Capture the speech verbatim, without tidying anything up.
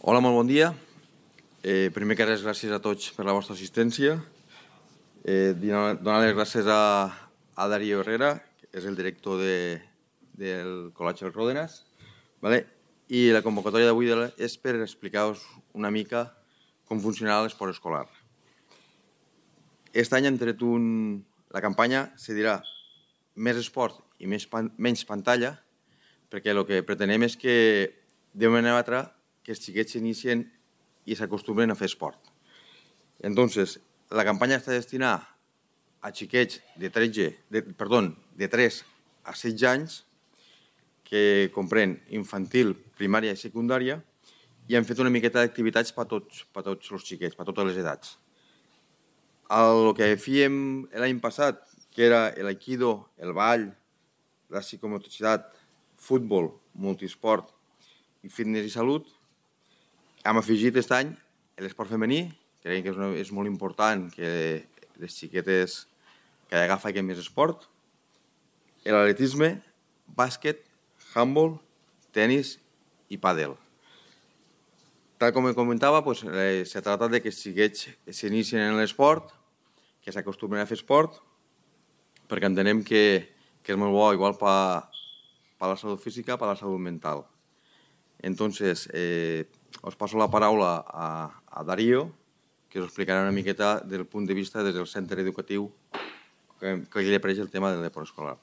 Hola, molt bon dia. Eh, primer que res, gràcies a tots per la vostra assistència. Eh, donar les gràcies a, a Darío Herrera, que és el director de, del Col·legi Ròdenas. Vale? I la convocatòria d'avui és per explicar-vos una mica com funciona l'esport escolar. Aquest any hem tret un... La campanya se dirà més esport i més pan... menys pantalla, perquè el que pretenem és que de manera o altra que els xiquets s'inicien i s'acostumbren a fer esport. Entonces, la campanya està destinada a xiquets de, tretze, de, perdó, de tres a setze anys, que comprèn infantil, primària i secundària, i hem fet una miqueta d'activitats per a tots, per a tots els xiquets, per a totes les edats. El que fèiem l'any passat, que era l'aikido, el ball, la psicomotricitat, futbol, multisport i fitness i salut, hem afegit aquest any l'esport femení, crec que és, una, és molt important que les xiquetes cada vegada facin més esport, l'atletisme, bàsquet, handball, tenis i pàdel. Tal com comentava, pues, eh, se trata de que els xiquets s'inicien en l'esport, que s'acostumen a fer esport, perquè entenem que, que és molt bo igual per a la salut física, per a la salut mental. Entonces, eh, os paso la paraula a, a Darío, que us explicarà una miqueta del punt de vista des del centre educatiu que, que li apareix el tema del deport escolar.